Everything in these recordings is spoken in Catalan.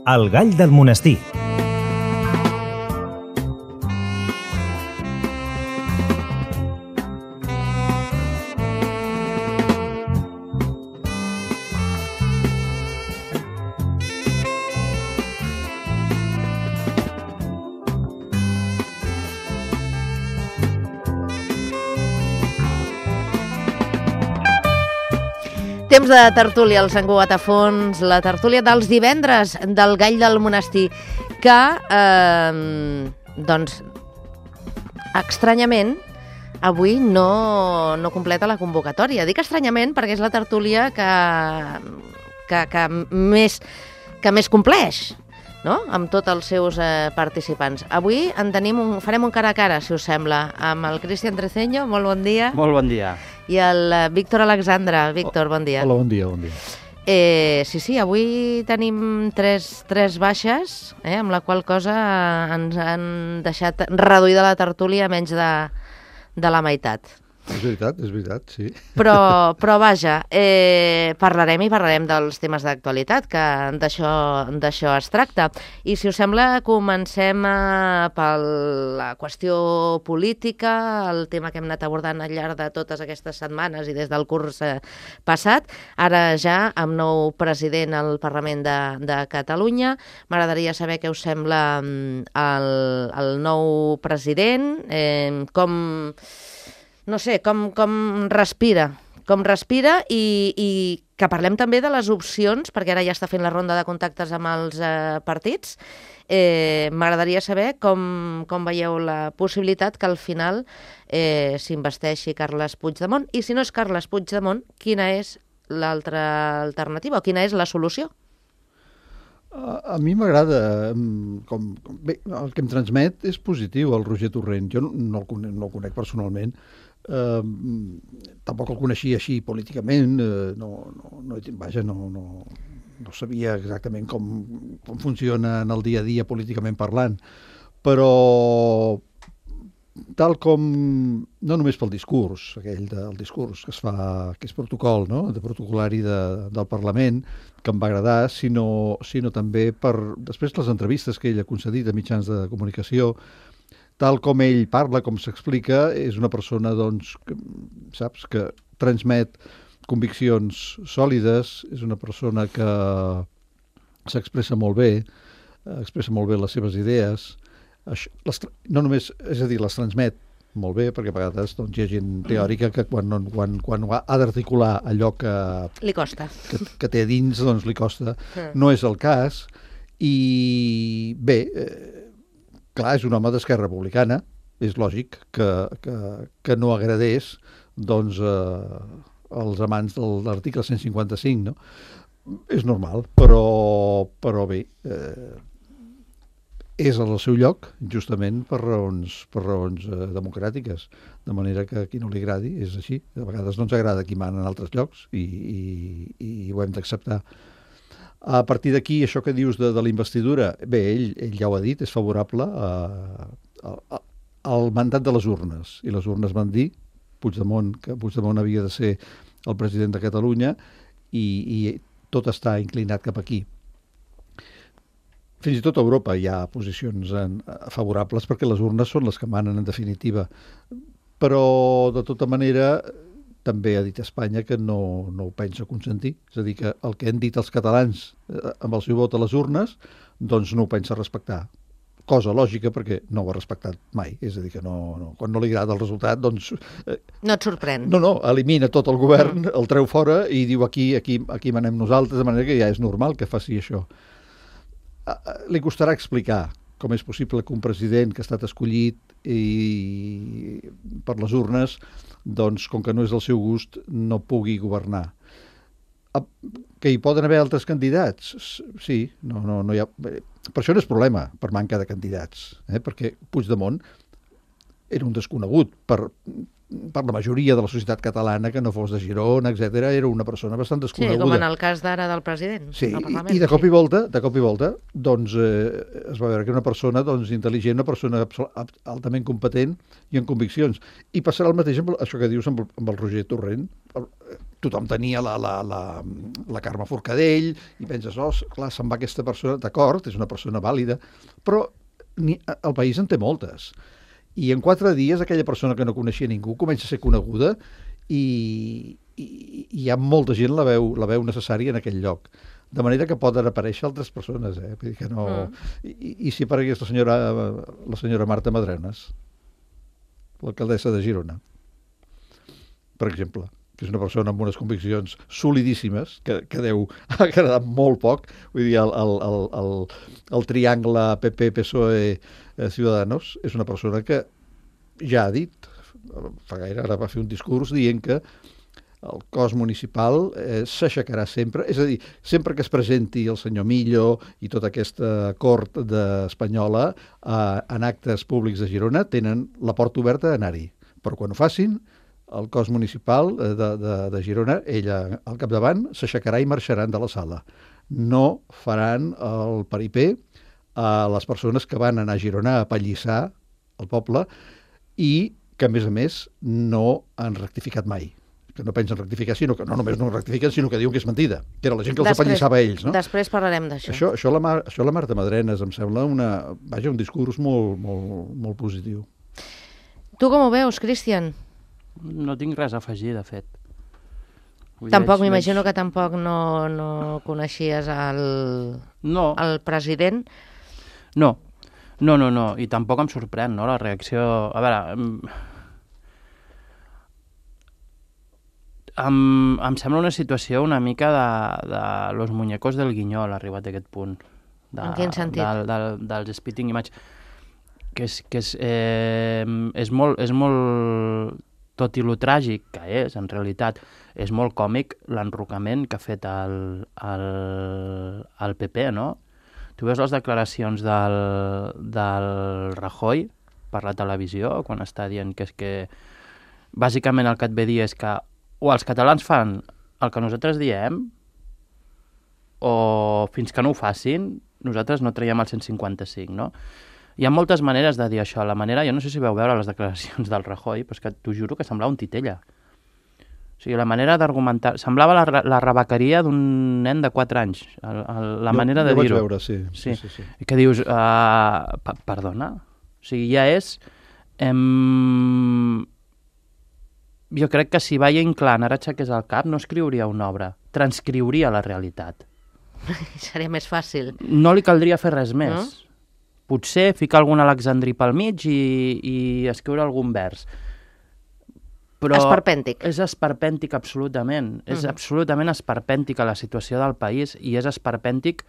El gall del monestir. Temps de tertúlia al Sant Cugat a fons, la tertúlia dels divendres del Gall del Monestir, que, doncs, estranyament, avui no completa la convocatòria. Dic estranyament perquè és la tertúlia que més compleix, no?, amb tots els seus participants. Avui farem un cara a cara, si us sembla, amb el Cristian Treceño. Molt bon dia. Molt bon dia. I el Víctor Alexandre. Víctor, bon dia. Hola, bon dia, bon dia. Sí, avui tenim tres baixes, amb la qual cosa ens han deixat reduïda la tertúlia a menys de la meitat. És veritat, sí. Però vaja, parlarem dels temes d'actualitat, que d'això es tracta. I si us sembla, comencem per la qüestió política, el tema que hem anat abordant al llarg de totes aquestes setmanes i des del curs passat. Ara ja amb nou president al Parlament de Catalunya. M'agradaria saber què us sembla el nou president, com respira i que parlem també de les opcions, perquè ara ja està fent la ronda de contactes amb els partits. M'agradaria saber com veieu la possibilitat que al final s'investeixi Carles Puigdemont, i si no és Carles Puigdemont, quina és l'altra alternativa o quina és la solució? A mi m'agrada, bé, el que em transmet és positiu, el Roger Torrent. Jo no el conec personalment, tampoc el coneixia així políticament, no sabia exactament com funciona en el dia a dia políticament parlant, però tal com, no només pel discurs, del discurs que es fa, que és protocol, no?, de protocolari del Parlament, que em va agradar, sinó també per després les entrevistes que ell ha concedit a mitjans de comunicació. Tal com ell parla, com s'explica, és una persona, doncs, que transmet conviccions sòlides, és una persona que s'expressa molt bé, expressa molt bé les seves idees, no només, és a dir, les transmet molt bé, perquè a vegades doncs, hi ha gent teòrica que quan ha d'articular allò que li costa, que té a dins, doncs li costa. No és el cas, i bé, clar, és un home d'Esquerra Republicana, és lògic que no agradés doncs, els amants de l'article 155, no? És normal, però bé, és al seu lloc, justament per raons democràtiques, de manera que a qui no li agradi és així. A vegades no ens agrada qui mana en altres llocs i ho hem d'acceptar. A partir d'aquí, això que dius de la investidura, bé, ell ja ho ha dit, és favorable al mandat de les urnes, i les urnes van dir que Puigdemont havia de ser el president de Catalunya, i tot està inclinat cap aquí. Fins i tot a Europa hi ha posicions favorables perquè les urnes són les que manen en definitiva. Però, de tota manera, també ha dit a Espanya que no ho pensa consentir. És a dir, que el que han dit els catalans amb el seu vot a les urnes, doncs no ho pensa respectar. Cosa lògica perquè no ho ha respectat mai. És a dir, que quan no li agrada el resultat, doncs... No et sorprèn. No, elimina tot el govern, el treu fora i diu aquí manem nosaltres, de manera que ja és normal que faci això. Li costarà explicar com és possible que un president que ha estat escollit per les urnes, doncs, com que no és del seu gust, no pugui governar. Que hi poden haver altres candidats? Sí, no hi ha... Per això no és problema, per manca de candidats, perquè Puigdemont era un desconegut per la majoria de la societat catalana, que no fos de Girona, etc. Era una persona bastant desconeguda. Sí, com en el cas d'ara del president. Sí, i de cop i volta, doncs, es va veure que una persona intel·ligent, una persona altament competent i amb conviccions. I passarà el mateix amb això que dius amb el Roger Torrent. tothom tenia la Carme Forcadell, i penses, clar, se'n va aquesta persona, d'acord, és una persona vàlida, però el país en té moltes. I en 4 dies aquella persona que no coneixia ningú comença a ser coneguda i hi ha molta gent la veu necessària en aquell lloc. De manera que poden aparèixer altres persones, Vull dir que no... I si aparegués la senyora Marta Madrenas, l'alcaldessa de Girona, per exemple, que és una persona amb unes conviccions solidíssimes, que deu agradar molt poc. Vull dir, el triangle PP-PSOE-Ciudadanos és una persona que ja ha dit, fa gaire, ara va fer un discurs dient que el cos municipal s'aixecarà sempre, és a dir, sempre que es presenti el senyor Millo i tota aquesta cort espanyola en actes públics de Girona, tenen la porta oberta a anar-hi. Però quan ho facin, el cos municipal de Girona, ella al capdavant, s'aixecarà i marxaran de la sala. No faran el paripé a les persones que van anar a Girona a apallissar el poble i que, a més, no han rectificat mai. Que no pensen rectificar, sinó que no només no rectifiquen, sinó que diuen que és mentida, que era la gent que els apallissava a ells. No? Després parlarem d'això. Això la Marta Madrenas em sembla un discurs molt positiu. Tu com ho veus, Cristian? No tinc res a afegir, de fet. Tampoc, m'imagino que tampoc no coneixies el president. No, i tampoc em sorprèn, no?, la reacció... A veure, em sembla una situació una mica de los muñecos del Guinyol, arribat a aquest punt. En quin sentit? Dels Spitting Image. Que és molt... Tot i lo tràgic que és, en realitat, és molt còmic l'enrocament que ha fet el PP, no? Tu veus les declaracions del Rajoy per la televisió, quan està dient que és que... Bàsicament el que et ve dir és que o els catalans fan el que nosaltres diem, o fins que no ho facin, nosaltres no traiem el 155, no? Hi ha moltes maneres de dir això. La manera, jo no sé si veu veure les declaracions del Rajoy, però és que t'ho juro que semblava un titella. O sigui, la manera d'argumentar... Semblava la rebequeria d'un nen de 4 anys, manera de dir-ho. Jo vaig veure, sí. I que dius, perdona? O sigui, ja és... Jo crec que si Valle Inclán ara aixequés el cap, no escriuria una obra, transcriuria la realitat. Seria més fàcil. No li caldria fer res més. No? Potser ficar algun alexandrí pel mig i escriure algun vers. Però esperpèntic. És esperpèntic, absolutament. És absolutament esperpèntica la situació del país i és esperpèntic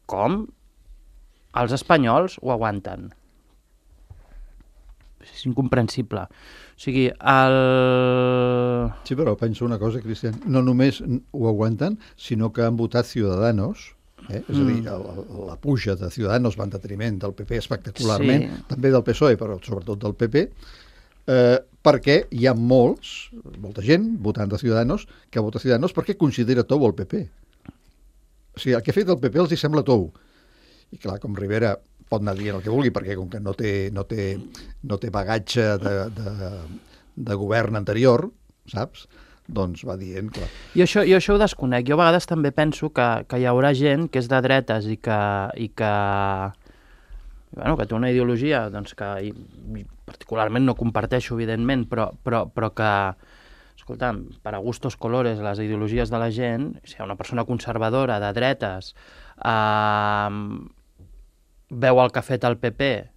com els espanyols ho aguanten. És incomprensible. O sigui, Sí, però penso una cosa, Cristian. No només ho aguanten, sinó que han votat Ciudadanos. És a dir, la puja de Ciudadanos va en detriment del PP espectacularment, també del PSOE, però sobretot del PP, perquè hi ha molta gent votant de Ciudadanos que vota Ciudadanos perquè considera tou el PP. O sigui, el que ha fet el PP els hi sembla tou. I clar, com Rivera pot anar dient el que vulgui, perquè com que no té bagatge de govern anterior, saps?, doncs va dient, clar. I això ho desconec. Jo a vegades també penso que hi haurà gent que és de dretes i que té una ideologia doncs, que particularment no comparteixo, evidentment, però que, escolta, per a gustos colores, les ideologies de la gent, si hi ha una persona conservadora de dretes, veu el que ha fet el PP,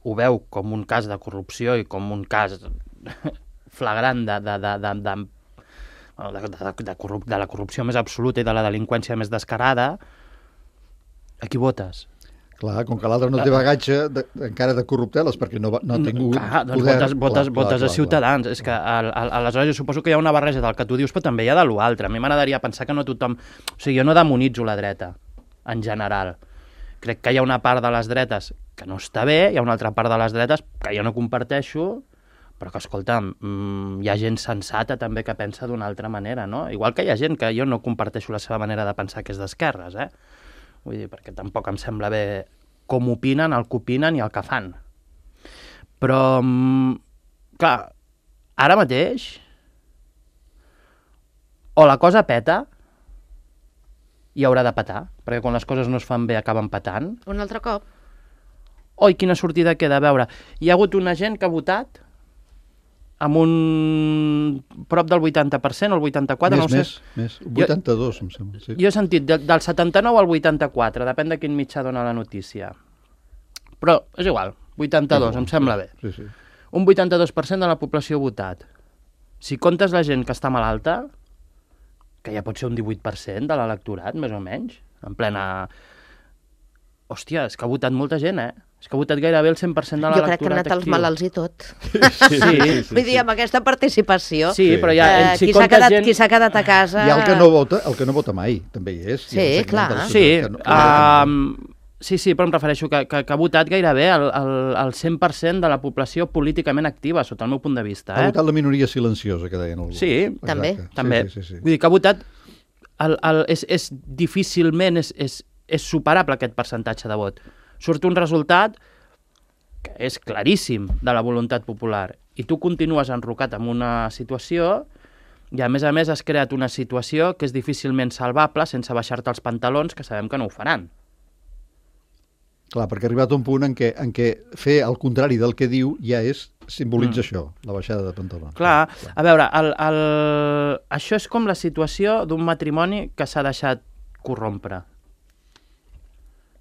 ho veu com un cas de corrupció i com un cas flagrant de la corrupció més absoluta i de la delinqüència més descarada, a qui votes? Clar, com que l'altre no té bagatge encara de corrupteles, perquè no ha tingut poder... Votes a Ciutadans. És que aleshores jo suposo que hi ha una barreja del que tu dius, però també hi ha de l'altre. A mi m'agradaria pensar que no tothom... O sigui, jo no demonitzo la dreta, en general. Crec que hi ha una part de les dretes que no està bé, hi ha una altra part de les dretes que jo no comparteixo, però que, escolta'm, hi ha gent sensata també que pensa d'una altra manera, no? Igual que hi ha gent que jo no comparteixo la seva manera de pensar que és d'esquerres, Vull dir, perquè tampoc em sembla bé com opinen, el que opinen i el que fan. Però, clar, ara mateix o la cosa peta, i haurà de petar, perquè quan les coses no es fan bé acaben petant. Un altre cop? Oi, quina sortida queda? A veure, hi ha hagut una gent que ha votat amb un prop del 80% o el 84%, no ho sé. Més. 82, em sembla. Sí. Jo he sentit del 79 al 84, depèn de quin mitjà dona la notícia. Però és igual, 82, em sembla bé. Sí. Un 82% de la població ha votat. Si comptes la gent que està malalta, que ja pot ser un 18% de l'electorat, més o menys, en plena... Hòstia, és que ha votat molta gent, És que ha votat gairebé el 100% de l'electorat actiu. Jo crec que han anat els malalts i tot. Sí. Vull dir, amb aquesta participació... Sí, però ja... Qui s'ha quedat a casa... I el que no vota mai, també hi és. Sí, clar. Sí, però em refereixo que ha votat gairebé el 100% de la població políticament activa, sota el meu punt de vista. Ha votat la minoria silenciosa, que deien alguns. Sí, també. Sí. Vull dir que ha votat... És difícilment és superable aquest percentatge de vot. Surt un resultat que és claríssim de la voluntat popular i tu continues enrocat en una situació i a més has creat una situació que és difícilment salvable sense baixar-te els pantalons, que sabem que no ho faran. Clar, perquè ha arribat un punt en què fer el contrari del que diu ja simbolitza això, la baixada de pantalons. Clar. A veure, això és com la situació d'un matrimoni que s'ha deixat corrompre.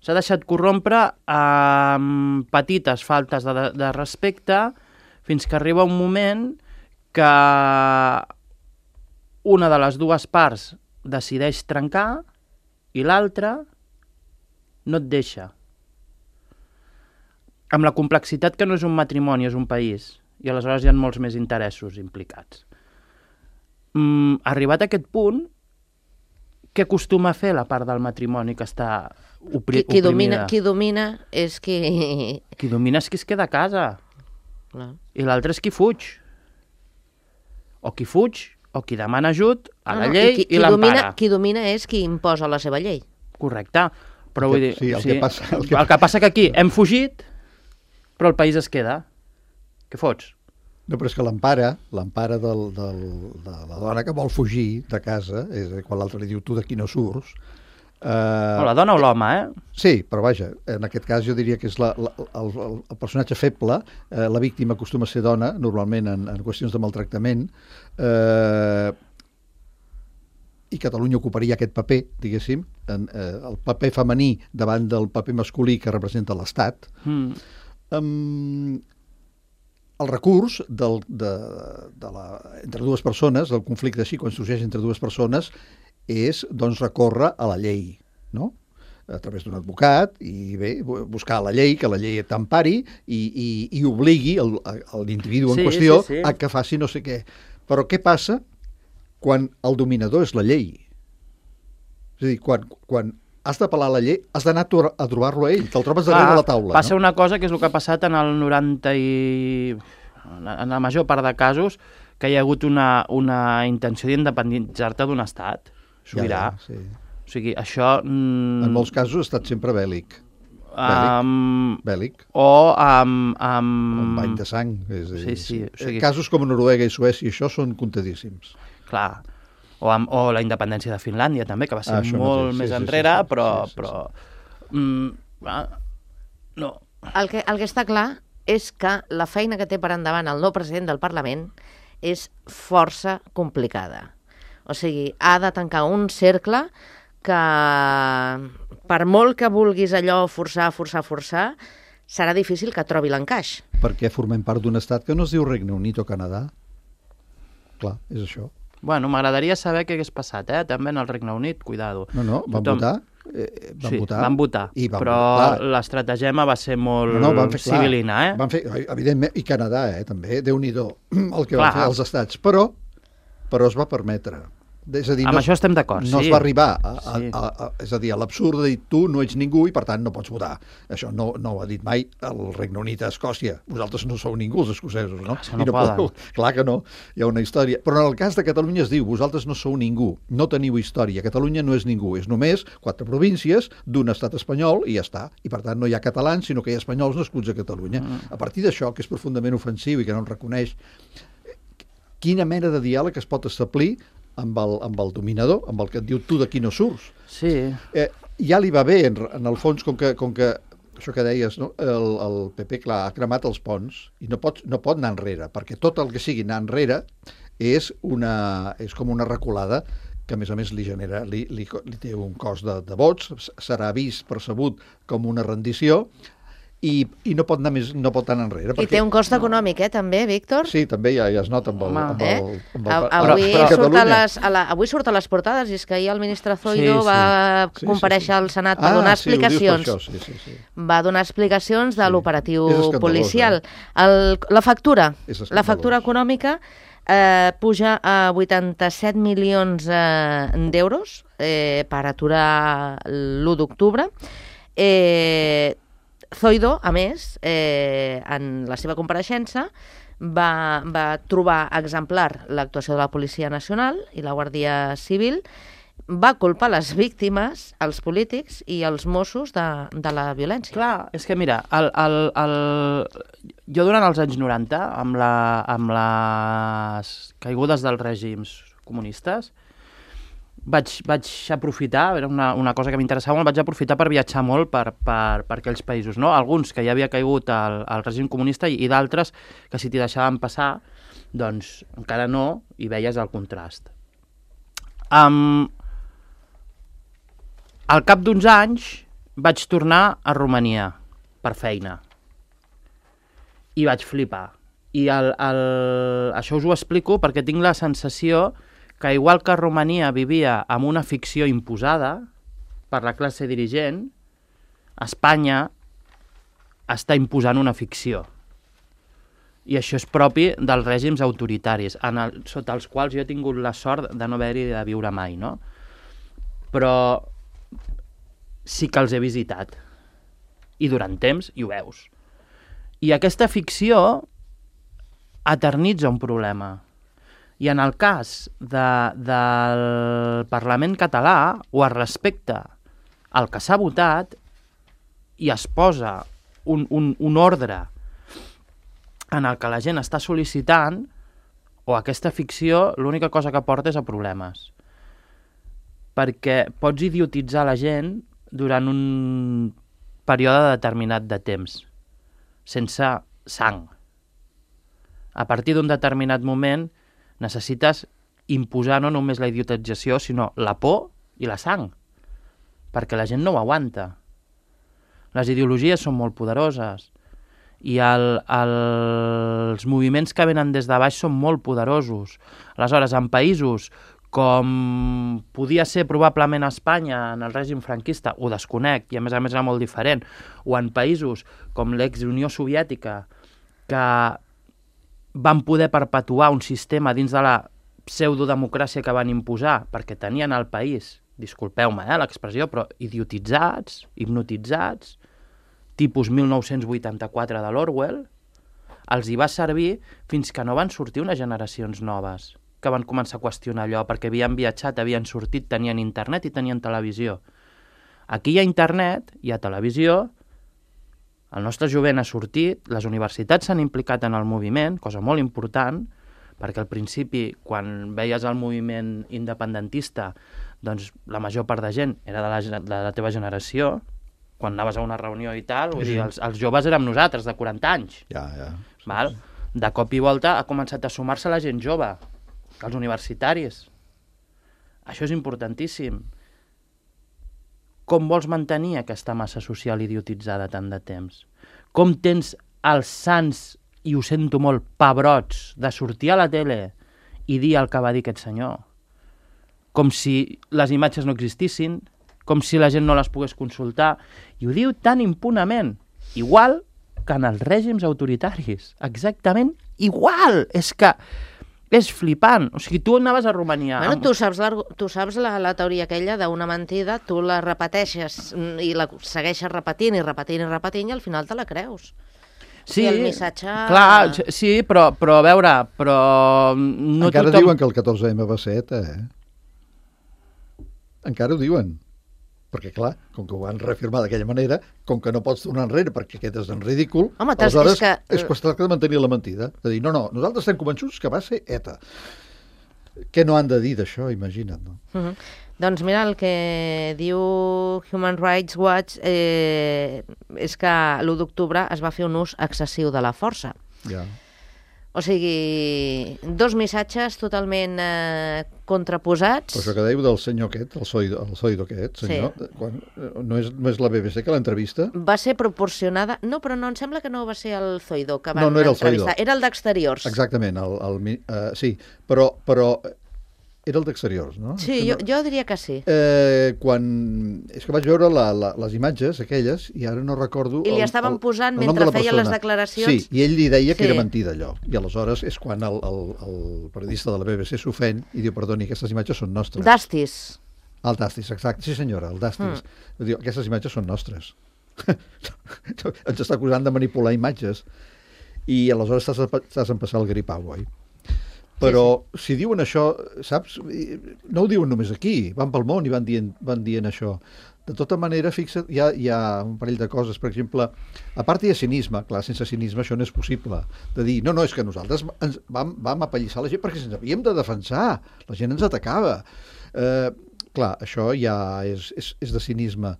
S'ha deixat corrompre amb petites faltes de respecte fins que arriba un moment que una de les dues parts decideix trencar i l'altra no et deixa. Amb la complexitat que no és un matrimoni, és un país, i aleshores hi ha molts més interessos implicats. Arribat a aquest punt, què acostuma a fer la part del matrimoni que està oprimida? Qui domina és qui... Qui domina és qui es queda a casa. Clar. I l'altre és qui fuig. O qui fuig, o qui demana ajut a la llei i l'empara. Qui domina és qui imposa la seva llei. Correcte. Però vull dir... Sí, el que passa que aquí hem fugit, però el país es queda. Què fots? No, però és que l'empara de la dona que vol fugir de casa, és quan l'altre li diu tu d'aquí no surts... O la dona o l'home, Sí, però vaja, en aquest cas jo diria que és el personatge feble, la víctima acostuma a ser dona, normalment en qüestions de maltractament, i Catalunya ocuparia aquest paper, diguéssim, el paper femení davant del paper masculí que representa l'Estat. El recurs entre dues persones, el conflicte així, quan sorgeix entre dues persones, és, doncs, recórrer a la llei, no? A través d'un advocat, i bé, buscar la llei, que la llei t'empari i obligui l'individu en qüestió a que faci no sé què. Però què passa quan el dominador és la llei? És a dir, quan has d'apel·lar a la llei, has d'anar a trobar-lo a ell, te'l trobes darrere de la taula. Passa una cosa que és el que ha passat en el 90 en la major part de casos, que hi ha hagut una intenció d'independitzar-te d'un estat sobirà. Sí. O sigui, això... En molts casos ha estat sempre bèl·lic. Bèl·lic. O amb... Un bany de sang. Sí. O sigui... Casos com Noruega i Suècia, això són contadíssims. Clar. O la independència de Finlàndia, també, que va ser molt més enrere, però... No. El que està clar és que la feina que té per endavant el nou president del Parlament és força complicada. O sigui, ha de tancar un cercle que, per molt que vulguis allò forçar, serà difícil que trobi l'encaix. Perquè formem part d'un estat que no es diu Regne Unit o Canadà. Clar, és això. Bueno, m'agradaria saber què hagués passat, també en el Regne Unit, cuidado. No, van votar. Van votar, però l'estratagema va ser molt civilina, Van fer, evidentment, i Canadà, també, Déu-n'hi-do, el que van fer els estats, però es va permetre. És a dir, amb això estem d'acord, no es va arribar és a dir, a l'absurd de dir tu no ets ningú i per tant no pots votar. Això no ho ha dit mai el Regne Unit a Escòcia. Vosaltres no sou ningú, els escocesos, no? No poden. Clar que no, hi ha una història. Però en el cas de Catalunya es diu vosaltres no sou ningú, no teniu història. Catalunya no és ningú, és només 4 províncies d'un estat espanyol i ja està. I per tant no hi ha catalans, sinó que hi ha espanyols nascuts a Catalunya. A partir d'això, que és profundament ofensiu i que no el reconeix, quina mena de diàleg es pot establir amb el dominador, amb el que et diu tu d'aquí no surts. Sí. Ja li va bé, en el fons, com que això que deies, no? El PP, clar, ha cremat els ponts i no pot anar enrere, perquè tot el que sigui anar enrere és com una reculada que a més li genera, li té un cost de vots, serà vist, percebut com una rendició, i no pot anar enrere. I té un cost econòmic, també, Víctor? Sí, també ja es nota amb el Avui surt a les portades, i és que ahir el ministre Zoido va comparèixer al Senat per donar explicacions. Va donar explicacions de l'operatiu policial. La factura econòmica puja a 87 milions d'euros per aturar l'1 d'octubre. Zoido, a més, en la seva compareixença, va trobar exemplar l'actuació de la Policia Nacional i la Guàrdia Civil, va culpar les víctimes, els polítics i els Mossos de la violència. Clar, és que mira, jo durant els anys 90, amb les caigudes dels règims comunistes, vaig aprofitar, era una cosa que m'interessava molt, vaig aprofitar per viatjar molt per aquells països, no? Alguns que ja havia caigut al règim comunista i d'altres que si t'hi deixaven passar, doncs encara no, i veies el contrast. Al cap d'uns anys vaig tornar a Romania per feina i vaig flipar. I això us ho explico perquè tinc la sensació que igual que Romania vivia amb una ficció imposada per la classe dirigent, Espanya està imposant una ficció. I això és propi dels règims autoritaris, sota els quals jo he tingut la sort de no haver-hi de viure mai, no? Però sí que els he visitat. I durant temps, i ho veus. I aquesta ficció eternitza un problema. I en el cas del Parlament català, o es respecta el que s'ha votat i es posa un ordre en el que la gent està sol·licitant, o aquesta ficció l'única cosa que porta és a problemes. Perquè pots idiotitzar la gent durant un període determinat de temps, sense sang. A partir d'un determinat moment necessites imposar no només la idiotització, sinó la por i la sang, perquè la gent no ho aguanta. Les ideologies són molt poderoses i els moviments que venen des de baix són molt poderosos. Aleshores, en països com podia ser probablement a Espanya en el règim franquista, ho desconec, i a més era molt diferent, o en països com l'ex-Unió Soviètica, que van poder perpetuar un sistema dins de la pseudodemocràcia que van imposar, perquè tenien el país, disculpeu-me l'expressió, però idiotitzats, hipnotitzats, tipus 1984 de l'Orwell, els hi va servir fins que no van sortir unes generacions noves, que van començar a qüestionar allò, perquè havien viatjat, havien sortit, tenien internet i tenien televisió. Aquí hi ha internet, hi ha televisió, el nostre jovent ha sortit, les universitats s'han implicat en el moviment, cosa molt important, perquè al principi, quan veies el moviment independentista, doncs la major part de gent era de la teva generació, quan anaves a una reunió i tal, vull dir, els joves érem nosaltres, de 40 anys. Ja. Val? De cop i volta ha començat a sumar-se la gent jove, els universitaris. Això és importantíssim. Com vols mantenir aquesta massa social idiotitzada tant de temps? Com tens els sants, i ho sento molt, pebrots, de sortir a la tele i dir el que va dir aquest senyor? Com si les imatges no existissin, com si la gent no les pogués consultar, i ho diu tan impunament, igual que en els règims autoritaris, exactament igual, és que és flipant. O sigui, tu anaves a Romania... Bueno, tu saps la teoria aquella d'una mentida, tu la repeteixes i la segueixes repetint i al final te la creus. Sí, el missatge... clar, sí, però a veure, no encara diuen que el 14M va ser ETA, Encara ho diuen. Perquè, clar, com que ho van reafirmar d'aquella manera, com que no pots tornar enrere perquè quedes en ridícul, home, aleshores és qüestió de mantenir la mentida. De dir, no, nosaltres estem convençuts que va ser ETA. Què no han de dir d'això, imagina't, no? Doncs mira, el que diu Human Rights Watch és que l'1 d'octubre es va fer un ús excessiu de la força. Ja. O sigui, dos missatges totalment contraposats. Però això que dèieu del senyor aquest, el Zoido aquest, senyor, no és la BBC que l'entrevista? Va ser proporcionada... No, però no, em sembla que no va ser el Zoido que van no era el entrevistar. Zoido. Era el d'Exteriors. Exactament, sí, però era el d'Exteriors, no? Sí, jo diria que sí. És que vaig veure les imatges aquelles i ara no recordo... I li estaven posant mentre feien les declaracions... Sí, i ell li deia que era mentida allò. I aleshores és quan el periodista de la BBC s'ofèn i diu, perdoni, aquestes imatges són nostres. Dastis. El Dastis, exacte. Sí, senyora, el Dastis. Diu, aquestes imatges són nostres. Ens està acusant de manipular imatges. I aleshores estàs empassant el gripau, oi? Però si diuen això, saps, no ho diuen només aquí, van pel món i van dient això. De tota manera, fixa't, hi ha un parell de coses. Per exemple, a part hi ha cinisme, clar, sense cinisme això no és possible. De dir, no, és que nosaltres vam apallissar la gent perquè ens havíem de defensar, la gent ens atacava. Clar, això ja és de cinisme.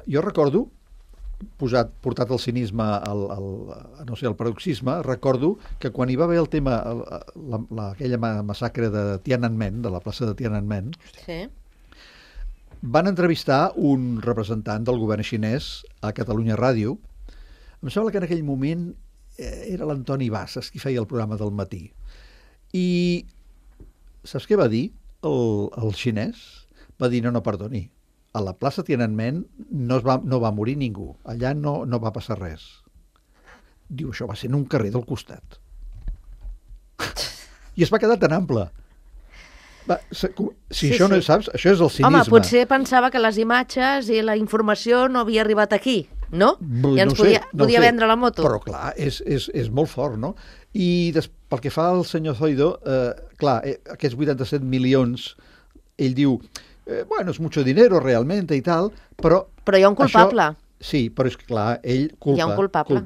Jo recordo, portat el cinisme al paroxisme, recordo que quan hi va haver el tema, aquella massacre de Tiananmen, de la plaça de Tiananmen, van entrevistar un representant del govern xinès a Catalunya Ràdio. Em sembla que en aquell moment era l'Antoni Bassas qui feia el programa del matí. I saps què va dir el xinès? Va dir, no, perdoni, a la plaça Tiananmen no va morir ningú. Allà no va passar res. Diu, això va ser en un carrer del costat. I es va quedar tan ample. Això no saps, això és el cinisme. Home, potser pensava que les imatges i la informació no havia arribat aquí, no? I ens podia vendre la moto. Però clar, és molt fort, no? I pel que fa al senyor Zoido, clar, aquests 87 milions, ell diu... bueno, es mucho dinero realmente y tal, però... Però hi ha un culpable. Sí, però és clar, ell culpa. Hi ha un culpable.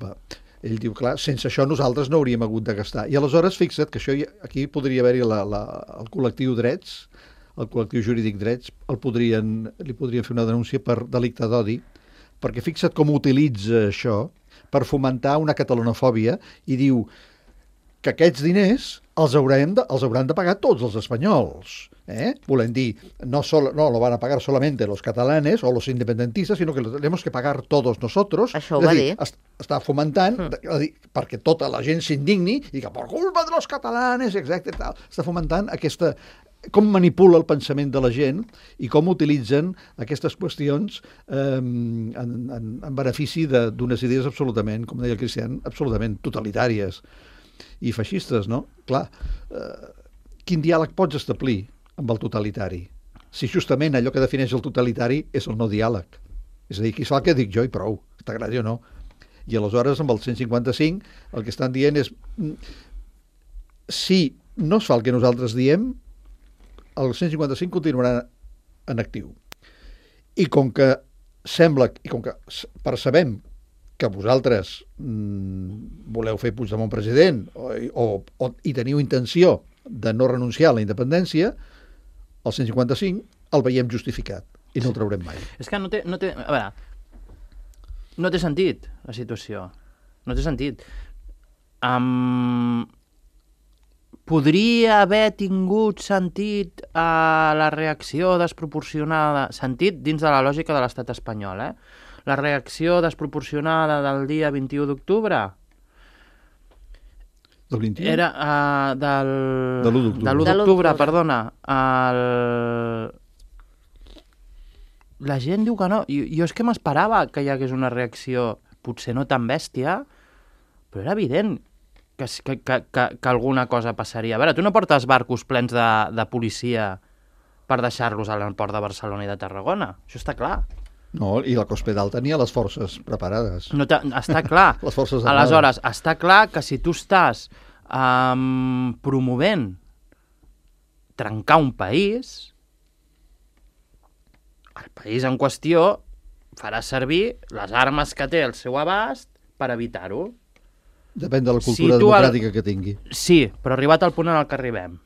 Ell diu, clar, sense això nosaltres no hauríem hagut de gastar. I aleshores, fixa't que això aquí podria haver-hi el col·lectiu Drets, el col·lectiu jurídic Drets, li podrien fer una denúncia per delicte d'odi, perquè fixa't com utilitza això per fomentar una catalanofòbia i diu que aquests diners els hauran de pagar tots els espanyols. Volem dir, no lo van a pagar solamente los catalanes o los independentistas, sino que lo tenemos que pagar todos nosotros. Això ho va dir. Està fomentant perquè tota la gent s'indigni i que per culpa de los catalanes, exacte, tal. Està fomentant com manipula el pensament de la gent i com utilitzen aquestes qüestions en benefici d'unes idees absolutament, com deia el Cristian, absolutament totalitàries i feixistes, no? Clar, quin diàleg pots establir amb el totalitari? Si justament allò que defineix el totalitari és el no diàleg. És a dir, qui fa el que dic jo i prou, t'agradi o no. I aleshores, amb el 155, el que estan dient és si no es fa el que nosaltres diem, el 155 continuarà en actiu. I com que percebem que vosaltres voleu fer Puigdemont president i teniu intenció de no renunciar a la independència, el 155 el veiem justificat i no el traurem mai. És que no té... A veure, no té sentit, la situació. No té sentit. Podria haver tingut sentit la reacció desproporcionada, sentit dins de la lògica de l'estat espanyol, la reacció desproporcionada del dia 21 d'octubre del 21? Era de l'1 d'octubre, perdona. La gent diu que no. Jo és que m'esperava que hi hagués una reacció, potser no tan bèstia, però era evident que alguna cosa passaria. A veure, tu no portes barcos plens de policia per deixar-los a l'aeroport de Barcelona i de Tarragona. Això està clar. No, i la Cospedal tenia les forces preparades. No, està clar. Les forces armades. Aleshores, està clar que si tu estàs promovent trencar un país, el país en qüestió farà servir les armes que té al seu abast per evitar-ho. Depèn de la cultura democràtica que tingui. Sí, però arribat al punt en el que arribem.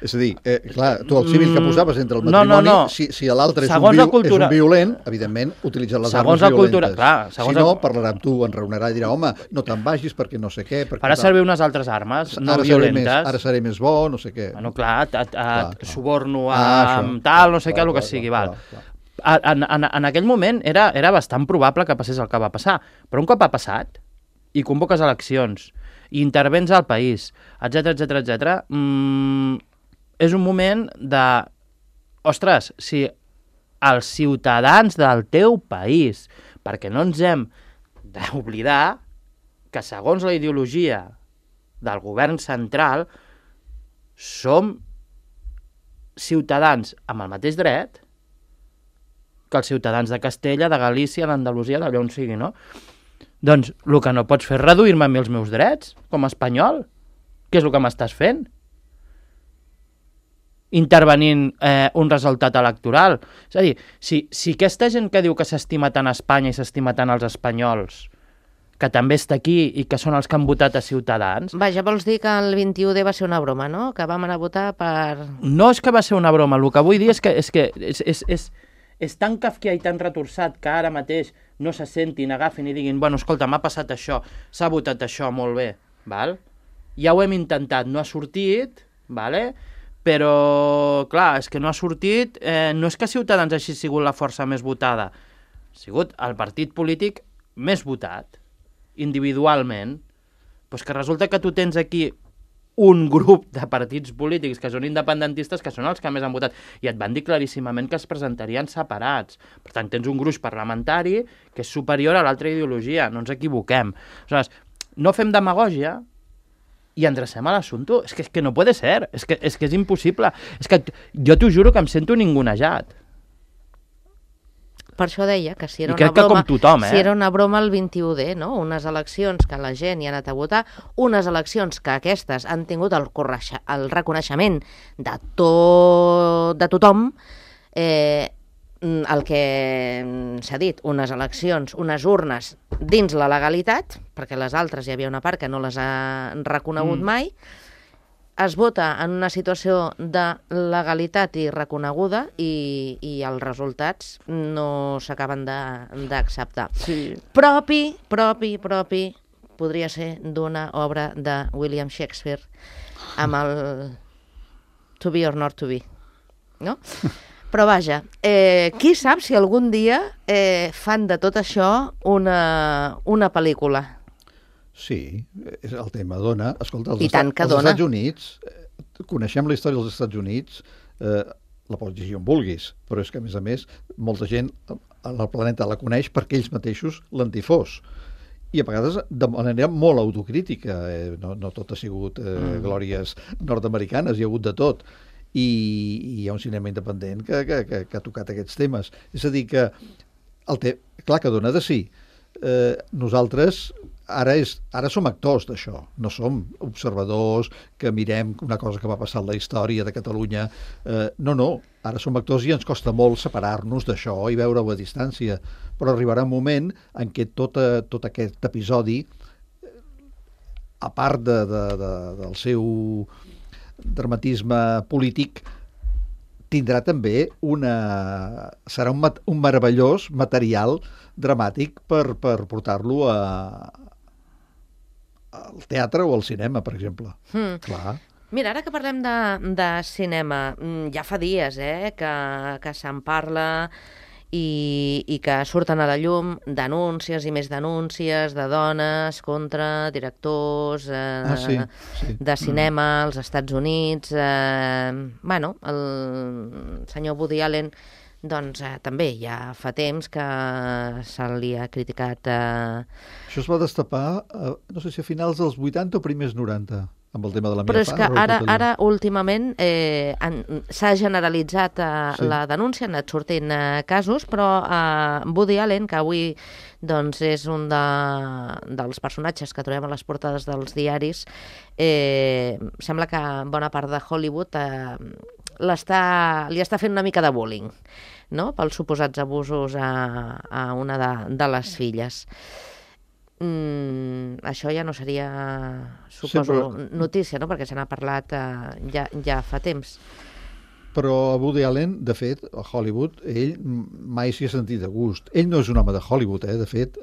És a dir, clar, tu el civil que posaves entre el matrimoni, no. si l'altre és Segons la és cultura- un violent, evidentment, utilitza les Segons armes la violentes. cultura, clar, segons si no, la- parlarà amb tu, enraonarà i dirà, home, no te'n vagis perquè no sé què. Perquè Farà tal. servir unes altres armes, no violentes. Ara seré més bo, no sé què. Bueno, clar, Clar. suborno això. amb tal, no sé què, Clar, el que clar, sigui, clar, val. clar. En aquell moment era bastant probable que passés el que va passar, però un cop ha passat i convoques eleccions i intervens al país, etc, és un moment de... Ostres, si els ciutadans del teu país, perquè no ens hem d'oblidar que segons la ideologia del govern central som ciutadans amb el mateix dret que els ciutadans de Castella, de Galícia, d'Andalusia, d'allà on sigui, no? Doncs el que no pots fer és reduir-me a mi els meus drets, com a espanyol. Què és el que m'estàs fent? Intervenint un resultat electoral. És a dir, si aquesta gent que diu que s'estima tant Espanya i s'estima tant els espanyols, que també està aquí i que són els que han votat a Ciutadans... Vaja, vols dir que el 21D va ser una broma, no? Que vam anar a votar per... No és que va ser una broma, el que vull dir és que és tan kafkià i tan retorçat que ara mateix no se sentin, agafin i diguin bueno, escolta, m'ha passat això, s'ha votat això, molt bé, val? Ja ho hem intentat, no ha sortit, vale? Però, clar, és que no ha sortit, no és que Ciutadans hagi sigut la força més votada, ha sigut el partit polític més votat, individualment, doncs que resulta que tu tens aquí un grup de partits polítics que són independentistes que són els que més han votat i et van dir claríssimament que es presentarien separats. Per tant, tens un gruix parlamentari que és superior a l'altra ideologia, no ens equivoquem. Aleshores, no fem demagògia i endrecem a l'assumpte. És que no puede ser, és que és impossible. És que jo t'ho juro que em sento ningunejat. Per això deia que si era I una crec que broma, com tothom, si era una broma el 21D, no? Unes eleccions que la gent hi ha anat a votar, unes eleccions que aquestes han tingut el reconeixement de tothom, el que s'ha dit, unes eleccions, unes urnes dins la legalitat, perquè les altres hi havia una part que no les ha reconegut mai, es vota en una situació de legalitat i reconeguda i els resultats no s'acaben d'acceptar. Sí. Propi, podria ser d'una obra de William Shakespeare amb el To be or not to be, no? Però vaja, qui sap si algun dia fan de tot això una pel·lícula? Sí, el tema dona. Escolta, I tant que els dona. Estats Units, coneixem la història dels Estats Units, la pots llegir on vulguis, però és que, a més, molta gent al planeta la coneix perquè ells mateixos l'han difós. I a vegades de manera molt autocrítica. No tot ha sigut glòries nord-americanes, hi ha hagut de tot. I hi ha un cinema independent que ha tocat aquests temes. És a dir, que clar que dona de sí. Nosaltres ara som actors d'això, no som observadors que mirem una cosa que va passar en la història de Catalunya. No, ara som actors i ens costa molt separar-nos d'això i veure-ho a distància, però arribarà un moment en què tot aquest episodi, a part del seu dramatisme polític, tindrà també serà un meravellós material dramàtic per portar-lo al teatre o al cinema, per exemple. Clar. Mira, ara que parlem de cinema, ja fa dies que se'n parla i que surten a la llum denúncies i més denúncies de dones contra directors Sí. de cinema als Estats Units. Bueno, el senyor Woody Allen doncs també ja fa temps que se li ha criticat... Això es va destapar, no sé si a finals dels 80 o primers 90, amb el tema de la Però meva és que ara últimament s'ha generalitzat la denúncia, han anat sortint casos, però Woody Allen, que avui doncs, és un dels personatges que trobem a les portades dels diaris, sembla que bona part de Hollywood li està fent una mica de bullying, no? Pels suposats abusos a una de les filles. això ja no seria, suposo, notícia, no? Perquè se n'ha parlat ja fa temps. Però a Woody Allen, de fet, a Hollywood, ell mai s'hi ha sentit de gust. Ell no és un home de Hollywood, de fet,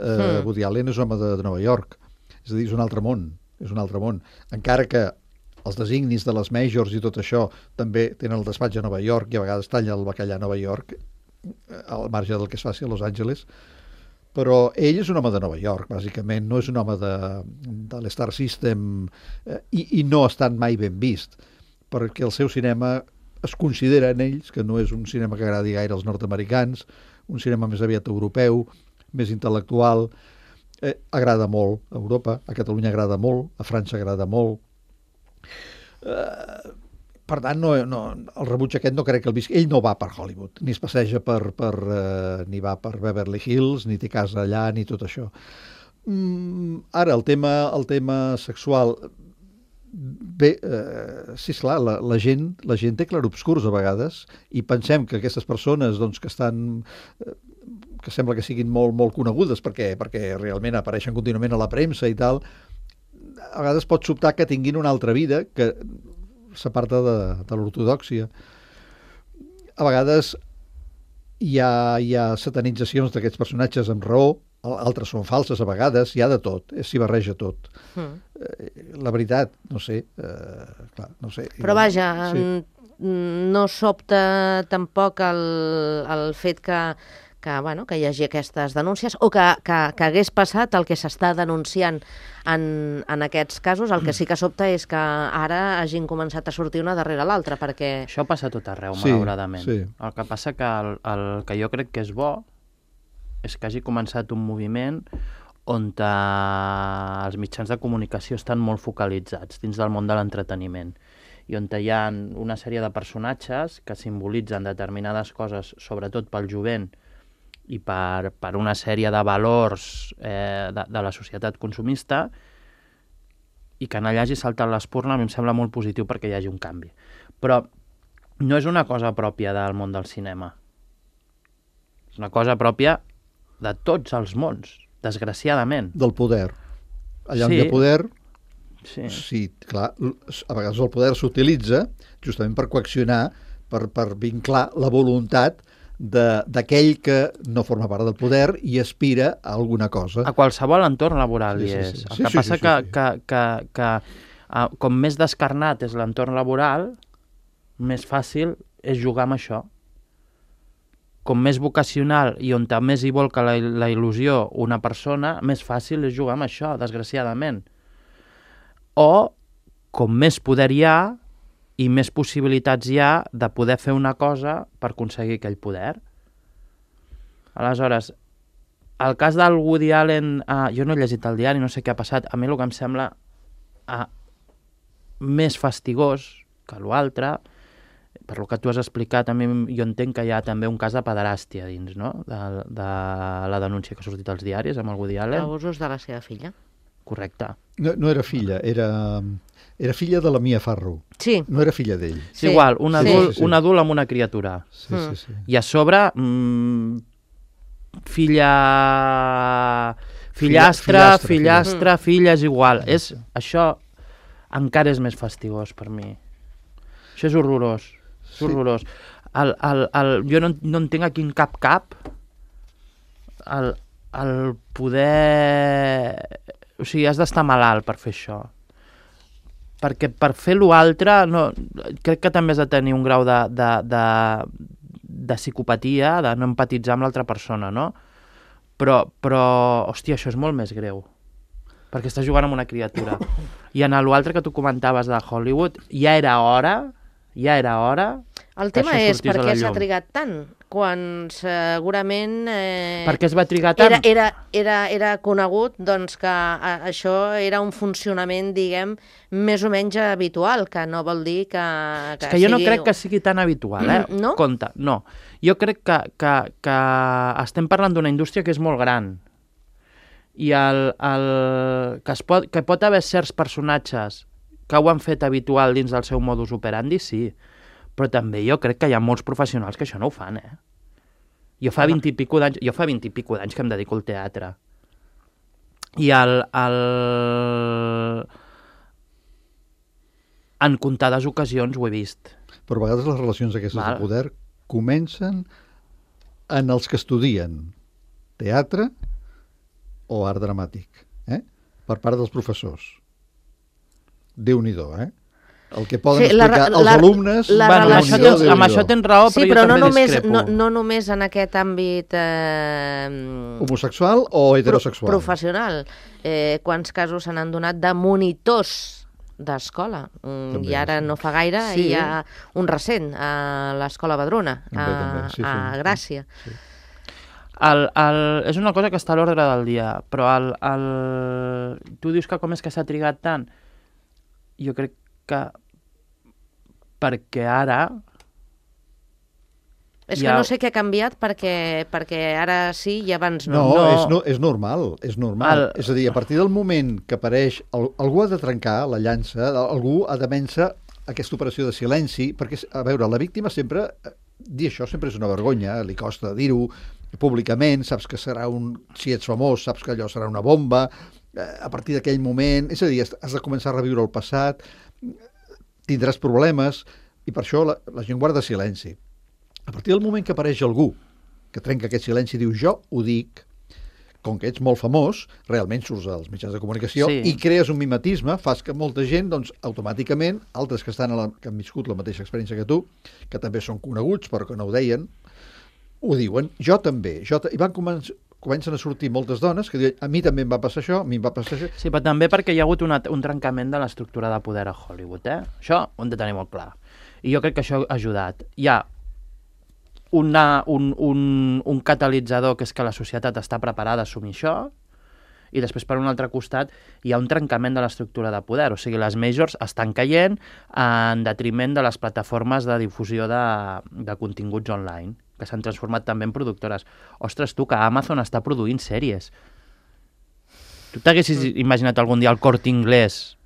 Woody Allen és un home de Nova York. És a dir, és un altre món, Encara que els designis de les majors i tot això també tenen el despatx a Nova York i a vegades talla el bacallà a Nova York, al marge del que es faci a Los Angeles, però ell és un home de Nova York, bàsicament, no és un home de l'Star System i no ha estat mai ben vist, perquè el seu cinema es considera en ells que no és un cinema que agradi gaire als nord-americans, un cinema més aviat europeu, més intel·lectual, agrada molt a Europa, a Catalunya agrada molt, a França agrada molt. Per tant, el rebuig aquest no crec que el visqui. Ell no va per Hollywood, ni es passeja ni va per Beverly Hills, ni té casa allà, ni tot això. Ara, el tema sexual... Bé, sí, esclar, la gent té clarobscurs a vegades i pensem que aquestes persones doncs, que sembla que siguin molt, molt conegudes perquè realment apareixen contínuament a la premsa i tal, a vegades pot sobtar que tinguin una altra vida que s'aparta de l'ortodòxia. A vegades hi ha satanitzacions d'aquests personatges amb raó, altres són falses a vegades, hi ha de tot, s'hi barreja tot. La veritat, no sé, clar, no sé. Però vaja, sí. No sobta tampoc el fet que hi hagi aquestes denúncies o que hagués passat el que s'està denunciant en aquests casos. El que sí que sobta és que ara hagin començat a sortir una darrere l'altra, perquè... Això passa a tot arreu, malauradament. Sí. El que passa que el que jo crec que és bo és que hagi començat un moviment on els mitjans de comunicació estan molt focalitzats dins del món de l'entreteniment i on hi ha una sèrie de personatges que simbolitzen determinades coses, sobretot pel jovent i per una sèrie de valors de la societat consumista, i que allà hagi saltat l'espurna a mi em sembla molt positiu perquè hi hagi un canvi. Però no és una cosa pròpia del món del cinema. És una cosa pròpia de tots els mons, desgraciadament. Del poder. Allà on hi ha poder, sí, clar, a vegades el poder s'utilitza justament per coaccionar, per vinclar la voluntat d'aquell que no forma part del poder i aspira a alguna cosa. A qualsevol entorn laboral hi és. El que passa que com més descarnat és l'entorn laboral, més fàcil és jugar amb això. Com més vocacional i on més hi volca la il·lusió una persona, més fàcil és jugar amb això, desgraciadament. O com més poder hi ha i més possibilitats hi ha de poder fer una cosa per aconseguir aquell poder. Aleshores, el cas del Woody Allen, jo no he llegit el diari, no sé què ha passat, a mi el que em sembla més fastigós que l'altre, per lo que tu has explicat, a mi jo entenc que hi ha també un cas de pederàstia dins, no?, de la denúncia que ha sortit als diaris amb el Woody Allen. Abusos de la seva filla. Correcte. No era filla, era filla de la Mia Farrow. Sí. No era filla d'ell. Sí, igual, un adult amb una criatura. Sí. I a sobre, fillastra, filla, és igual. Això encara és més fastigós per mi. Això és horrorós. És horrorós. Jo no entenc a quin cap el poder... O sigui, has d'estar malalt per fer això. Perquè per fer l'altre, crec que també has de tenir un grau de psicopatia, de no empatitzar amb l'altra persona, no? Però, hòstia, això és molt més greu. Perquè estàs jugant amb una criatura. I en l'altre que tu comentaves de Hollywood, ja era hora... El tema és per què s'ha trigat tant, quan segurament... Per què es va trigar tant? Era conegut doncs, que això era un funcionament, diguem, més o menys habitual, que no vol dir que és que jo no crec que sigui tan habitual, No? Compte, no. Jo crec que estem parlant d'una indústria que és molt gran i que pot haver certs personatges que ho han fet habitual dins del seu modus operandi, sí. Però també jo crec que hi ha molts professionals que això no ho fan, Jo fa 20 i pico d'anys que em dedico al teatre. I en comptades ocasions ho he vist. Però a vegades les relacions aquestes de poder comencen en els que estudien teatre o art dramàtic, per part dels professors. Déu-n'hi-do, el que poden explicar els alumnes... Amb això tens raó, però jo també discrepo. No només en aquest àmbit... homosexual o heterosexual? Professional. Quants casos se n'han donat de monitors d'escola? I ara no fa gaire hi ha un recent a l'Escola Badruna, a Gràcia. Sí. És una cosa que està a l'ordre del dia, però tu dius que com és que s'ha trigat tant? Jo crec que perquè ara... És que no sé què ha canviat perquè ara sí i abans no. No, és normal, és normal. És a dir, a partir del moment que apareix... Algú ha de trencar la llança, algú ha de vèncer aquesta operació de silenci, perquè, a veure, la víctima sempre... Dir això sempre és una vergonya, li costa dir-ho públicament, saps que serà si ets famós, saps que allò serà una bomba, a partir d'aquell moment... És a dir, has de començar a reviure el passat, tindràs problemes, i per això la gent guarda silenci. A partir del moment que apareix algú que trenca aquest silenci i diu jo ho dic, com que ets molt famós, realment surts als mitjans de comunicació i crees un mimetisme, fas que molta gent, doncs, automàticament, altres que han viscut la mateixa experiència que tu, que també són coneguts però que no ho deien, ho diuen, jo també. I van comencen a sortir moltes dones que diuen a mi també em va passar això, a mi em va passar això. Sí, però també perquè hi ha hagut un trencament de l'estructura de poder a Hollywood, Això ho hem de tenir molt clar. I jo crec que això ha ajudat. Hi ha un catalitzador que és que la societat està preparada a assumir això, i després per un altre costat hi ha un trencament de l'estructura de poder, o sigui, les majors estan caient en detriment de les plataformes de difusió de continguts online, que s'han transformat també en productores. Ostres, tu, que Amazon està produint sèries. Tu t'haguessis imaginat algun dia el Corte Inglés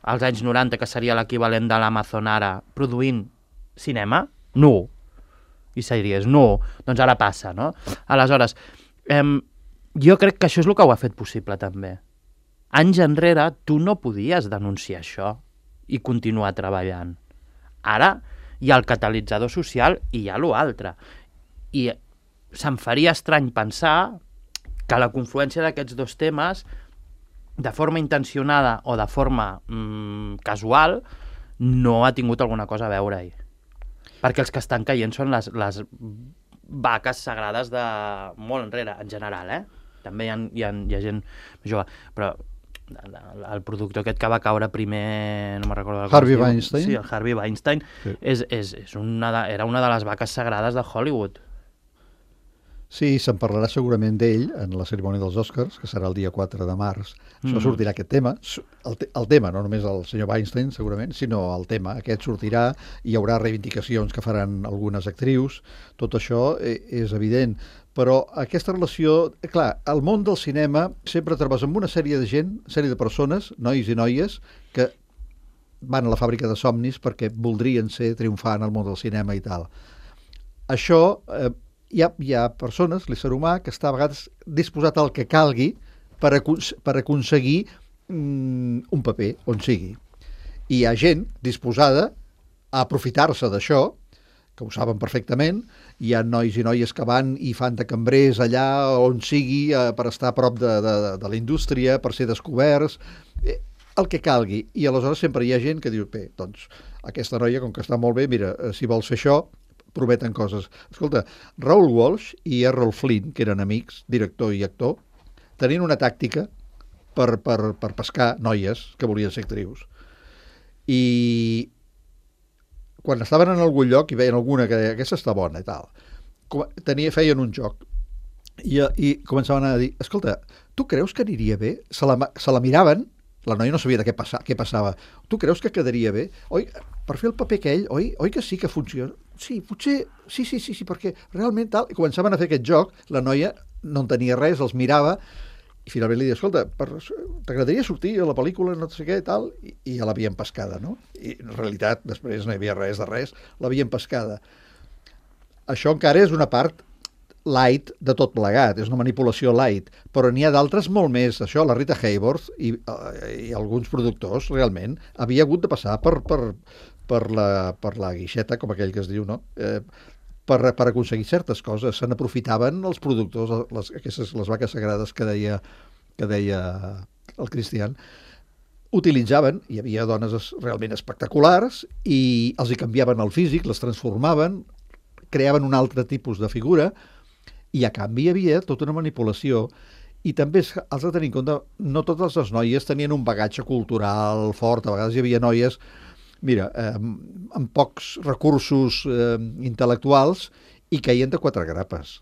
als anys 90, que seria l'equivalent de l'Amazon ara, produint cinema? No. I sèries, no. Doncs ara passa, no? Aleshores, jo crec que això és el que ho ha fet possible, també. Anys enrere, tu no podies denunciar això i continuar treballant. Ara hi ha el catalitzador social i hi ha l'altre. I se'm faria estrany pensar que la confluència d'aquests dos temes, de forma intencionada o de forma casual, no ha tingut alguna cosa a veure-hi. Perquè els que estan caient són les vaques sagrades de molt enrere, en general, També hi ha gent jove, però el productor aquest que va caure primer, no me'n recordo... Harvey Weinstein? Sí, el Harvey Weinstein, sí. Era una de les vaques sagrades de Hollywood. Sí, se'n parlarà segurament d'ell en la cerimònia dels Oscars, que serà el dia 4 de març. Això sortirà aquest tema. El tema, no només el senyor Weinstein, segurament, sinó el tema. Aquest sortirà, hi haurà reivindicacions que faran algunes actrius. Tot això és evident. Però aquesta relació... Clar, al món del cinema sempre trobes amb una sèrie de gent, sèrie de persones, nois i noies, que van a la fàbrica de somnis perquè voldrien triomfar en el món del cinema i tal. Això... Hi ha persones, l'ésser humà, que està a vegades disposat al que calgui per aconseguir un paper, on sigui. I hi ha gent disposada a aprofitar-se d'això, que ho saben perfectament. Hi ha nois i noies que van i fan de cambrers allà on sigui per estar a prop de la indústria, per ser descoberts, el que calgui. I aleshores sempre hi ha gent que diu, bé, doncs aquesta noia, com que està molt bé, mira, si vols fer això, prometen coses. Escolta, Raoul Walsh i Errol Flynn, que eren amics, director i actor, tenien una tàctica per pescar noies que volien ser actrius. I quan estaven en algun lloc i veien alguna que aquesta està bona i tal, feien un joc i començaven a dir, escolta, tu creus que aniria bé? Se la miraven, la noia no sabia de què passava. Tu creus que quedaria bé? Oi, per fer el paper aquell, oi que sí que funciona? Sí, potser, sí, perquè realment tal... I començaven a fer aquest joc, la noia no entenia res, els mirava, i finalment li deia, escolta, t'agradaria sortir a la pel·lícula, no sé què, tal, i ja l'havien pescada, no? I en realitat, després no hi havia res de res, l'havien pescada. Això encara és una part light de tot plegat, és una manipulació light, però n'hi ha d'altres molt més. Això, la Rita Hayworth i alguns productors, realment, havia hagut de passar per la guixeta, com aquell que es diu, no? Per aconseguir certes coses. Se n'aprofitaven els productors, les vaques sagrades que deia el Cristian, utilitzaven, hi havia dones realment espectaculars, i els hi canviaven el físic, les transformaven, creaven un altre tipus de figura, i a canvi hi havia tota una manipulació. I també has de tenir en compte, no totes les noies tenien un bagatge cultural fort, a vegades hi havia noies, mira, amb pocs recursos intel·lectuals, i caien de quatre grapes.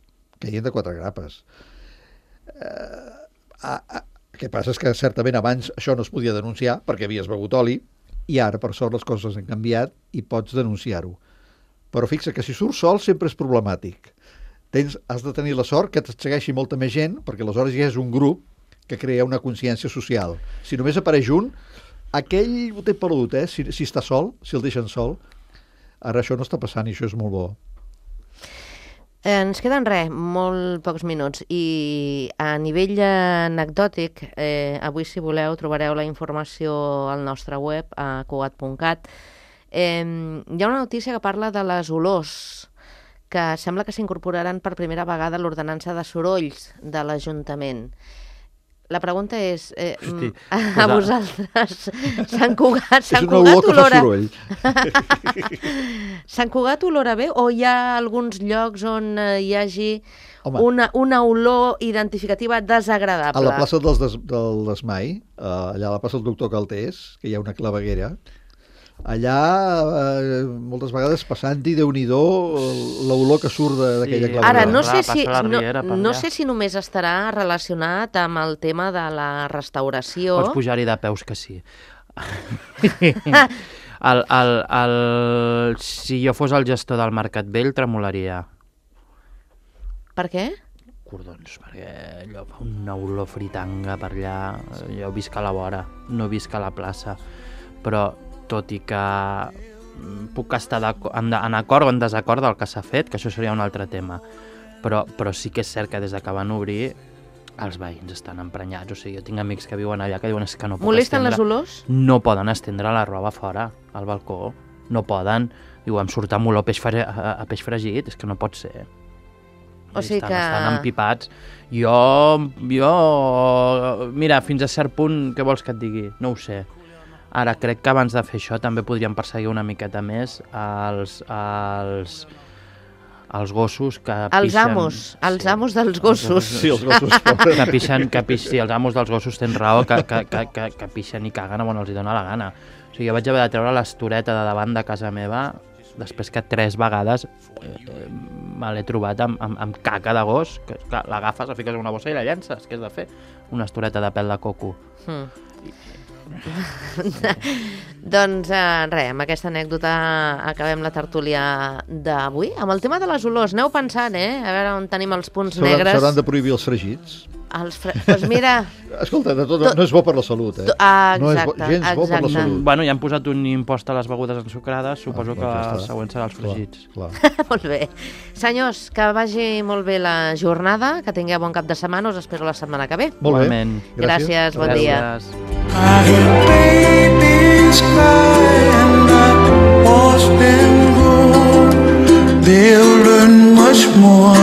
El que passa és que certament abans això no es podia denunciar perquè havies begut oli, i ara, per sort, les coses han canviat i pots denunciar-ho. Però fixa que si surts sol sempre és problemàtic. Has de tenir la sort que et segueixi molta més gent, perquè aleshores ja és un grup que crea una consciència social. Si només apareix un, aquell ho té pelut, si està sol, si el deixen sol. Ara això no està passant i això és molt bo. Ens queden molt pocs minuts, i a nivell anecdòtic, avui, si voleu, trobareu la informació al nostre web, a cugat.cat. Hi ha una notícia que parla de les olors, que sembla que s'incorporaran per primera vegada a l'ordenança de sorolls de l'Ajuntament. La pregunta és, a vosaltres, Sant Cugat olora bé, o hi ha alguns llocs on hi hagi una olor identificativa desagradable? A la plaça del Desmai, allà a la plaça del Doctor Caltés, que hi ha una claveguera, allà moltes vegades passant-hi, Déu-n'hi-do, l'olor que surt d'aquella claveguera. Ara, no sé si només estarà relacionat amb el tema de la restauració. Pots pujar-hi de peus, que sí. Si jo fos el gestor del Mercat Vell, tremolaria. Per què? Cordons, perquè allò fa una olor fritanga per allà. Jo visc a la vora, no visc a la plaça, però tot i que puc estar en acord o en desacord del que s'ha fet, que això seria un altre tema, però sí que és cert que des que van obrir els veïns estan emprenyats. O sigui, jo tinc amics que viuen allà que diuen que no puc molesten les olors? No poden estendre la roba fora, al balcó. No poden. Diu, em surt amb olor a peix fregit, és que no pot ser. O sigui que... Estan empipats. Jo... Mira, fins a cert punt, què vols que et digui? No ho sé. Ara, crec que abans de fer això també podríem perseguir una miqueta més els gossos que pixen... Els amos dels gossos. Sí, els gossos. Sí, els amos dels gossos tenen raó, que pixen i caguen on els hi dona la gana. O sigui, jo vaig haver de treure l'estoreta de davant de casa meva després que 3 vegades me l'he trobat amb caca de gos, que clar, l'agafes, la fiques en una bossa i la llences. Què has de fer? Una estoreta de pèl de coco. Doncs amb aquesta anècdota acabem la tertúlia d'avui. Amb el tema de les olors, aneu pensant, a veure on tenim els punts negres. S'hauran de prohibir els fregits? Doncs mira... Escolta, no és bo per la salut, no és gens bo per la salut. Bueno, ja han posat un impost a les begudes ensucrades, suposo que el següent serà els fregits. Clar. Molt bé. Senyors, que vagi molt bé la jornada, que tingueu bon cap de setmana, us espero la setmana que ve. Molt bé. Gràcies, bon dia. I hear babies cry and I watch them grow. They'll learn much more